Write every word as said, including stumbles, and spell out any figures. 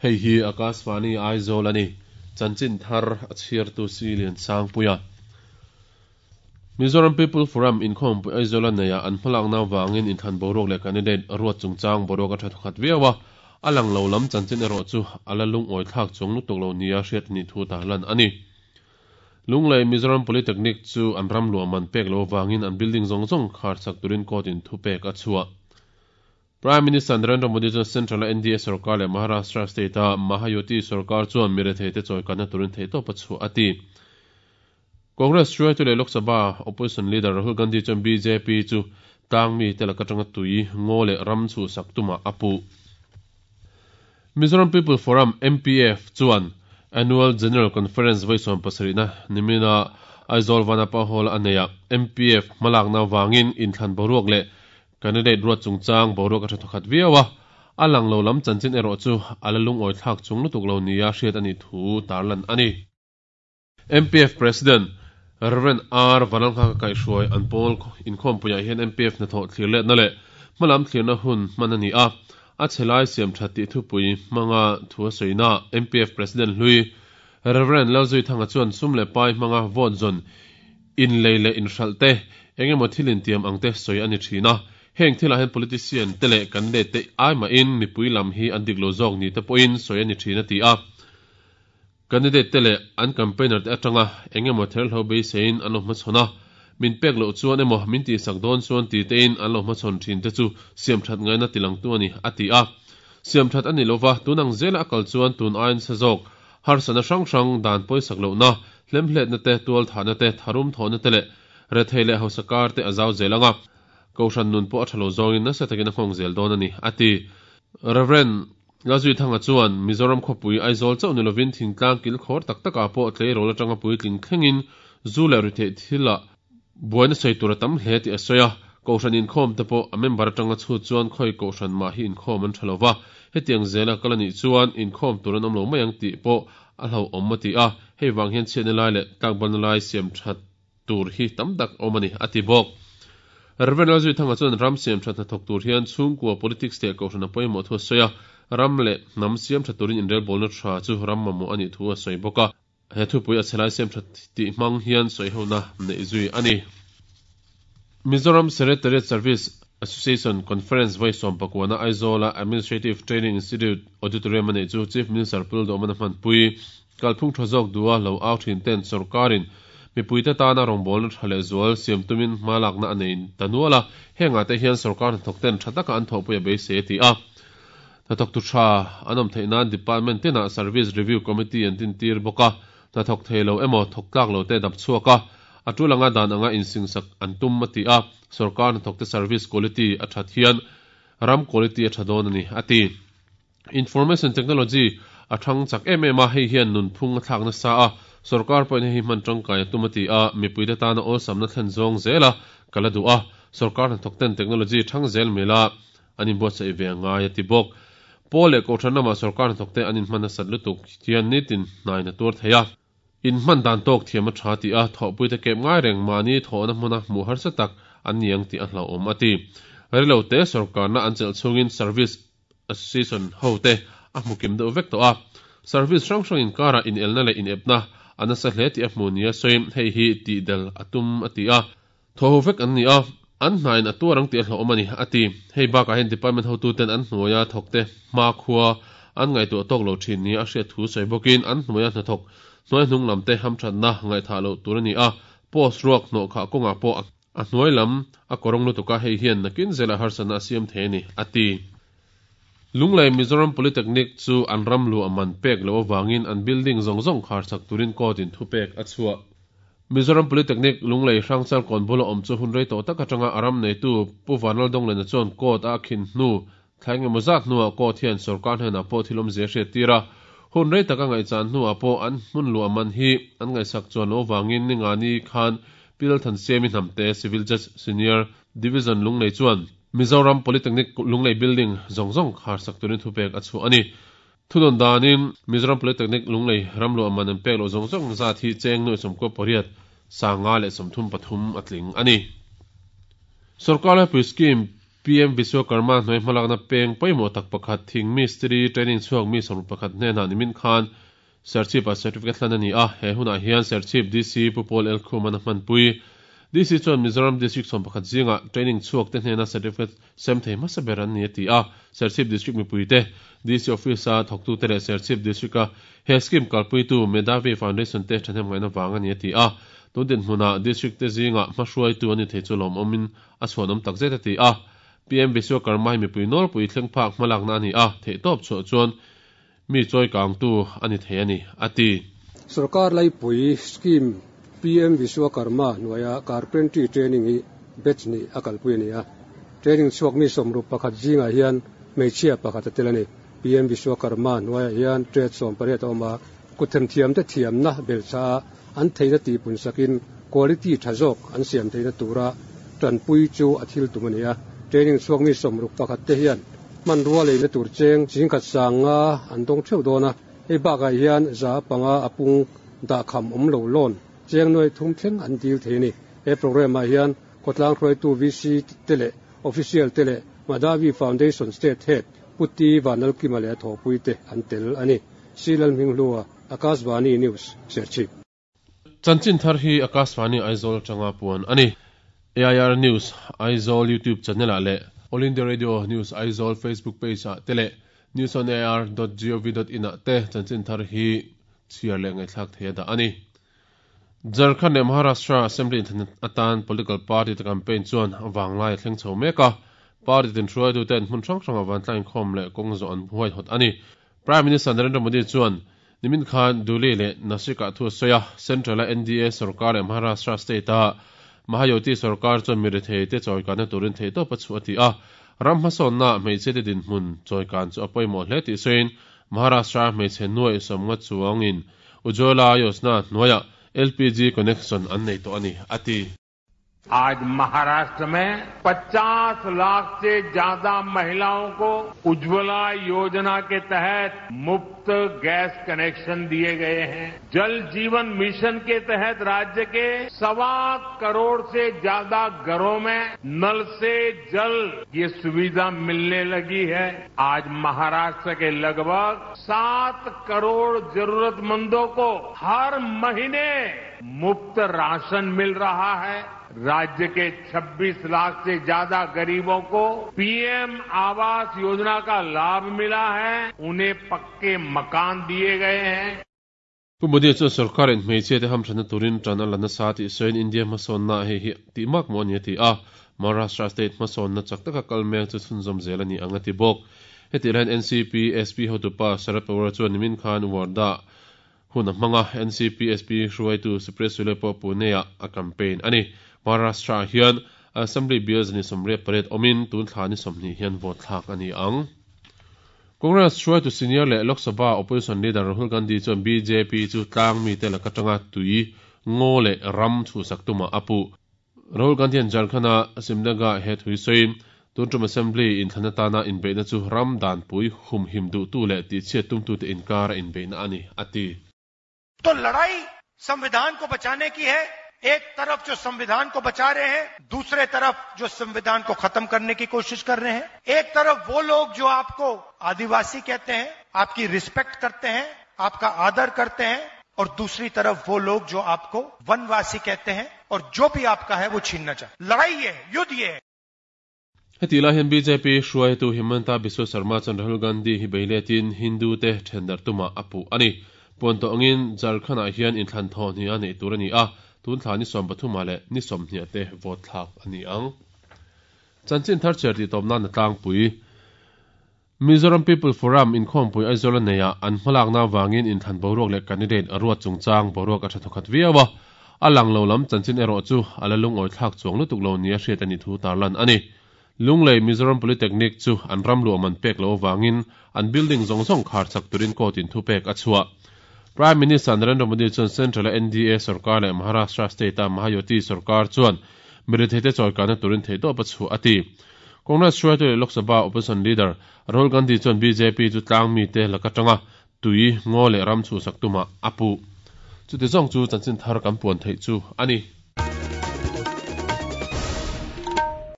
Hei hi Akashvani Aizawl ani. Chanchin thar a chhiartu si lian sang puia. Mizoram People Forum inkhawm pui Aizawl a neia an hmalak na wangin inthlan boruak leh candidate ruat chungchang boruak a tha thawkhat viawa alang lo lam chanchin erawh chu ala lung awi thlak chung lutuk lo nia hriat ni thu ta lan ani. Lunglei Mizoram Polytechnic chu an ram luah man pek lo wangin an building zawng zawng khar chak turin court in thu pek a chhuah. Prime Minister Narendra Modi chuan Central N D A sarkar leh Maharashtra state a Mahayuti sarkar chuan mirethei te chawi kanna turin thei tawp a chhuah ati. Congress hruaitu leh Lok Sabha opposition leader Rahul Gandhi chuan B J P chu tlang mi te laka tanga tui ngaw leh ram chu sak tuma apu. Mizoram People Forum M P F chuan Annual General Conference vaisom pasarina nimina Aizawl Vanapa Hall aneia M P F malak na wangin inthlan boruak leh candidate ruat chungchang boruak a tha thawkhat viawa alang lo lam chanchin erawh chu ala lung awi thlak chung lutuk lo nia hriat ani thu tarlan ani. M P F President Reverend R Vanalkha kai hruai an pawl inkhawm puiah hian M P F hnathawh thlir let na leh hmalam thlirna hun hman ani a a chelai siam that tih thupui hmanga thu a sawiina M P F President hlui Reverend Lalzui Thanga chuan sum leh pai hmanga vote zawn in lei leh in hralh te engemaw thil intiam ang te sawi ani thina. Heng thila hen politician te leh candidate te ai ma in mipui lam hi an dik lo zawk ni te pawhin sawi ani thina ti a. Candidate te leh an campaigner te atanga engemaw ther hlo beisein an lo hmachhawn a min pek lo chuan emaw min ti sak dawn chuan ti te in an lo hmachhawn thin te chu siam that ngaina tilang tu ani ati a. Siam that ani lova tunang zela akal chuan tun ain sa zawk harsana hrang hrang dan pawisak lo na hlemhlet na te tual thana te tharum thona te leh rethei leh hosakar te azaw zelanga kohhran nun pawh a tha lo zawngin nasa takin a nghawng zel dawn ani ati. Reverend Lazui Thanga chuan Mizoram khawpui Aizawl chauh ni lovin thingtlang kil khawr tak taka pawh tleirawl atanga puitling thlengin zu leh rithei thila buaina sei tur a tam hle tih a sawi a. Kohhran inkhawm te pawh a member atanga chhut chuan khawi kohhran mah hi inkhawm an tha lova hetiang zela kal ani chuan inkhawm tur an awm lo mai ang tih pawh a hlo awm a ti a. Hei wang hian chhiatna lai leh tlakbalna lai siam that tur hi tam tak awm ani ati bawk. Reverend Lazui Thanga chuan ram siam that hnathawk tur hian chhungkua politics leh kohhran a pawimawh thu a sawi a. Ram leh hnam siam that turin inrel bawlna tha chu ram mamawh ani thu a sawi bawk a. He thupui a chelai siam that tih hmang hian sawi hona nei zui ani. Mizoram Secretariat Service Association Conference vaisom pakwana Aizawl Administrative Training Institute Auditorium ani chu Chief Minister Pul Domana hmanpui kalphung tha zawk dua lo au thin ten sarkarin mipuite tana rawngbawlna tha leh zual siam tumin hmalakna anei tanuala henga te hian sarkar hnathawk ten tha taka an thawhpui a beisei ti a. Hnathawk tu tha an awm theih nan department tena Service Review Committee an tin tir bawk a. Hnathawk thei lo emaw thawk tlak lo te dap chhuak a a tulanga dan anga insingsak an tum a ti a. Sarkar hnathawk te service quality a that hian ram quality a tha dawn ani ati. Information technology a thang chak em em a hei hian nunphung a thlak nasa a. Sarkar pawhin hei hman tangkai a tum a ti a. Mipuite tana awlsamna thlen zawng zela kala du a. Sarkar hnathawk ten technology thang zel mela an inbuatsaih ve ngai a ti bawk. Pawl leh kohhran lama sarkar hnathawk te an inhman nasat lutuk hian nitin hnaina tur thei a. In hman dan tawk thiam a tha ti a thawhpui te kep ngai reng mahni thawhna hmuna hmuh harsa tak an niang tih a hlauhawm a ti. Rilo te sarkarna an chelh chungin Service Association ho te a hmu kim deuh vek tawh a. Service hrang hrang inkara in elna leh in epna an nasa hle tih a hmu nia sawi hei hi tih del a tum a ti a. Thaw vek an ni a an hnain a tuarang tih a hlauhawm ani ati. Hei bakah hian department hotu ten an hnuaia thawk te hma khua an ngaihtuah tawk lo thin ni a hriat thu sawi bawkin an hnuaia hnathawk hnuai hnung lam te hamthatna ngaihtha lo tur ani a. Post ruak hnawh kha kawngah pawh a hnuai lam a kawrawng lutuka hei hian nakin zela harsana a siam thei ani ati. Lunglei Mizoram Polytechnic chu an ram lu aman pek lo awangin an building zawng zawng khar chak turin court in thu pek a chhuah. Mizoram Polytechnic Lunglei hrangchal kawn bula awm chu hun rei tawh tak atanga aram nei tu Pu Vanlal Donglena chuan court a khin hnu thlai ngemaw zat hnuah court hian sarkar hnenah pawh thil awm zia hriat tir a. Hun rei taka ngaihchan hnuah pawh an hmun lu aman hi an ngaihsak chuan lo wangin ningani khan Pil Thansiami Hnamte Civil Judge Senior Division Lunglei chuan Mizoram Polytechnic Lunglei Building zawng zawng khar sak turin thu pek a chhuah ani. Thunawn danin Mizoram Polytechnic Lunglei ramlu aman an pek lo zawng zawng zat hi cheng nuai sawmkua pariat sanga leh sawmthum pathum a tling ani. Sarkar laipui scheme P M Vishwakarma hnuai hmalakna peng pawimawh tak pakhat thing mistiri training chhuak mi sawm pakhat hnenah nimin khan Serchhip a certificate hlan ani a he hunah hian Serchhip D C Pu Paul L Khuman a hmanpui D C chuan Mizoram District sawm pakhat zinga training chhuak te hnena certificate sem thei hmasa ber an ni a ti a Serchhip District mipui te D C office a thawktu te leh Serchhip District a he scheme kalpuitu Medhavi Foundation te thahnem ngaihna vang ani a ti a tun hmunah district te zinga hmahruaitu ani thei chu lawm awmin a chhuanawm tak zet a ti a P M Vishwakarma hi mipui nawlpui thleng phak hmalakna ani a theih tawp chhuah chuan mi chawi kang tu ani thei ani ati Sarkar laipui scheme P M Vishwakarma hnuaia carpentry training hi batch ni a kalpui ani a training chhuak mi sawmruk pakhat zingah hian hmeichhia pakhat a tel ani P M Vishwakarma hnuaia hian trade sawm pariat a awm a kuthem thiam te thiamna belcha an theina ti pun sakin quality tha zawk an siam theina tura tanpui chu a thil tum ani a training chhuak mi sawmruk pakhat te hian man rua leina tur cheng chingkhat sanga an dawng theuh dawn a hei bakah hian za panga a pung dah kham awm lo lawn cheng nuai thum thleng an dil thei ani he program ah hian khawtlang hruaitu V C te leh official te leh Madhavi Foundation State Head Puti Vanalkima leh thawpui te an tel ani Silal Hminghlua Akashvani News Serchhip Chanchin thar hi Akashvani Aizawl tanga puan ani A I R News Aizawl YouTube channel ah leh All India Radio News Aizawl Facebook page ah te leh news on a r dot gov dot in ah te chanchin thar hi chhiar leh ngaihthlak thei a dah ani Jharkhand leh Maharashtra Assembly inthlan atan political party te campaign chuan wanglai a thleng chho mek a party tin hruaitu ten hmun hrang hrang a vantlang inkhawm leh kawng zawh an huai hawt ani Prime Minister Narendra Modi chuan nimin khan Duli leh Nashik ah thu a sawi a Central a N D A sarkar leh Maharashtra state a Mahayuti sarkar chuan mirethei te chawikanna turin thei tawp a chu a ti a ram hmasawnna hmeichhe te dinhmun chawikan chu a pawimawh hle tih sawiin Maharashtra hmeichhe nuai sawmnga chuangin Ujjwala Yojana hnuaiah L P G connection an nei tawh ani a ti आज महाराष्ट्र में पचास लाख से ज्यादा महिलाओं को उज्ज्वला योजना के तहत मुफ्त गैस कनेक्शन दिए गए हैं। जल जीवन मिशन के तहत राज्य के सवा करोड़ से ज्यादा घरों में नल से जल ये सुविधा मिलने लगी है। आज महाराष्ट्र के लगभग सात करोड़ जरूरतमंदों को हर महीने मुफ्त राशन मिल रहा है। राज्य के छब्बीस लाख से ज्यादा गरीबों को पीएम आवास योजना का लाभ मिला है, उन्हें पक्के मकान दिए गए हैं। Modi chu sarkar in hmeichhe te hamthana turin tan a lana sa ti sawiin India hmasawnna hei hi tih mak maw ani a ti a Maharashtra state hmasawnna chak taka kal mek chu chhunzawm zel ani ang a ti bawk heti hian N C P S P hotupa Sharad Pawar chuan nimin khan Wardha hun a hmanga N C P S P hruaitu Supriya Sule pawh Pune ah a campaign ani Maharashtra hian Assembly bills ni somriat pariat awmin tun thla ni sawmhnih hian vote thlak ani ang Congress hruaitu senior leh Lok Sabha opposition leader Rahul Gandhi chuan B J P chu tlang mi te laka tanga tui ngaw leh ram chhuhsak tuma a pu Rahul Gandhi an Jharkhand-a Simnaga he thui sawiin tun tum assembly inthlan atana inbeihna chu ram dan pui hum him duh tu leh tihchhiat tum tu te inkar a inbeihna ani a ti तो लड़ाई संविधान को बचाने की है। एक तरफ जो संविधान को बचा रहे हैं, दूसरे तरफ जो संविधान को खत्म करने की कोशिश कर रहे हैं। एक तरफ वो लोग जो आपको आदिवासी कहते हैं, आपकी रिस्पेक्ट करते हैं, आपका आदर करते हैं, और दूसरी तरफ वो लोग जो आपको वनवासी कहते हैं और जो भी आपका है वो छीनना चाहते हैं। लड़ाई ये है, युद्ध ये है। Heti lai hian B J P hruaitu Himanta Biswa Sarma chuan Rahul Gandhi hi beiletin Hindu te thendar tuma a puh ani. Puan tawh angin Jharkhand ah hian inthlan thaw hnih a neih tur ani a tun thla ni sawm pathum ah leh ni sawmhnih te vote thlak ani ang. Chanchin thar cher ti tawp nan a tlangpui Mizoram People Forum inkhawmpui Aizawl a nei ah an hmalakna wangin inthlan boruak leh candidate a ruat chungchang boruak a tha thawkhat viau a a lang lo lam chanchin erawh chu a la lungawi thlak chuang lutuk lo ni a hriat ani thu tarlan ani. Lunglei Mizoram Polytechnic chu an ram luah man pek lo wangin an building zawng zawng khar chak turin court in thu pek a chhuah. Prime Minister Narendra Modi chuan Central N D A sarkar leh Maharashtra state a Mahayuti sarkar chuan mirethei te chawikana turin thei tawp a chhuah a ti. Congress hruaitu leh Lok Sabha opposition leader Rahul Gandhi chuan B J P chu tlang mi te laka tanga tui ngaw leh ram chhuhsak tuma a puh. Chuti zawng chu chanchin thar kan puan theih chu ani.